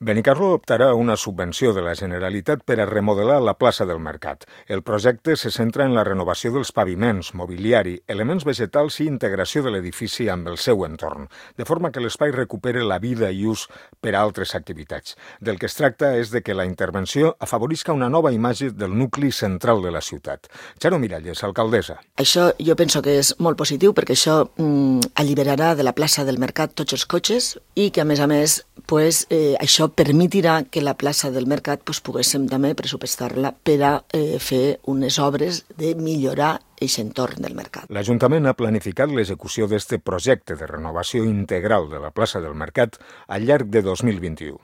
Benicarló optarà a una subvenció de la Generalitat per a remodelar la plaça del Mercat. El projecte se centra en la renovació dels paviments, mobiliari, elements vegetals i integració de l'edifici amb el seu entorn, de forma que l'espai recupere la vida i ús per a altres activitats. Del que es tracta és de que la intervenció afavorisca una nova imatge del nucli central de la ciutat. Charo Miralles, alcaldessa. Això jo penso que és molt positiu perquè això alliberarà de la plaça del Mercat tots els cotxes i que, a més, això permetirà que la plaça del Mercat poguéssim també pressupostar-la per a fer unes obres de millorar aquest entorn del mercat. L'Ajuntament ha planificat l'execució d'aquest projecte de renovació integral de la plaça del Mercat al llarg de 2021.